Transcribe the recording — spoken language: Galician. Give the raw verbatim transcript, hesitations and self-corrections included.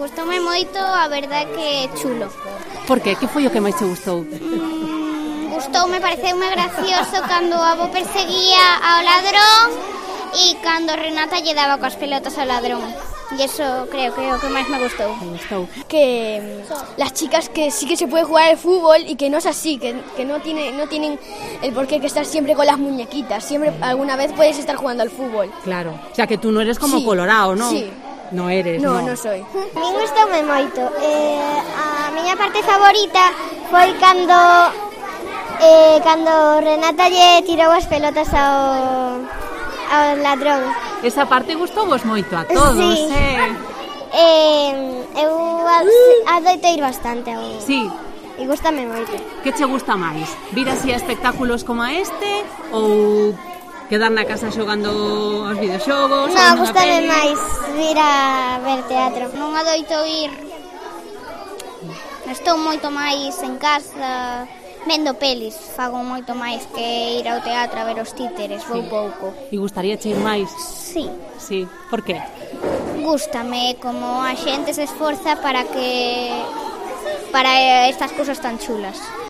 Gustoume moito, a verdade que é chulo. Por que? Que foi o que máis te gustou? Mm, gustoume, pareceume gracioso cando o avó perseguía ao ladrón e cando Renata lle daba coas pelotas ao ladrón. E eso creo que é o que máis me gustou. Me gustou. Que las chicas que sí que se puede jugar al fútbol y que no es así, que, que no, tiene, no tienen el porqué que estar siempre con las muñequitas. Siempre, alguna vez puedes estar jugando al fútbol. Claro, o sea que tú no eres como Sí, Colorado, ¿no? sí. No eres, No, no. no soy. A min gustoume moito. Eh, a miña parte favorita foi cando eh, cando Renata lle tirou as pelotas ao, ao ladrón. Esa parte gustou vos moito a todos, Sí. eh? Eh, eu adoito ir bastante ao... Sí. E gustame moito. Que che gusta máis? Vir así a espectáculos como este ou quedar na casa xogando aos videoxogos? Non, gustame máis vir a ver teatro. Non adoito ir. Estou moito máis en casa vendo pelis. Fago moito máis que ir ao teatro a ver os títeres, vou pouco. E gustaría che ir máis? Sí, Sí. Por que? gústame como a xente se esforza para que para estas cousas tan chulas.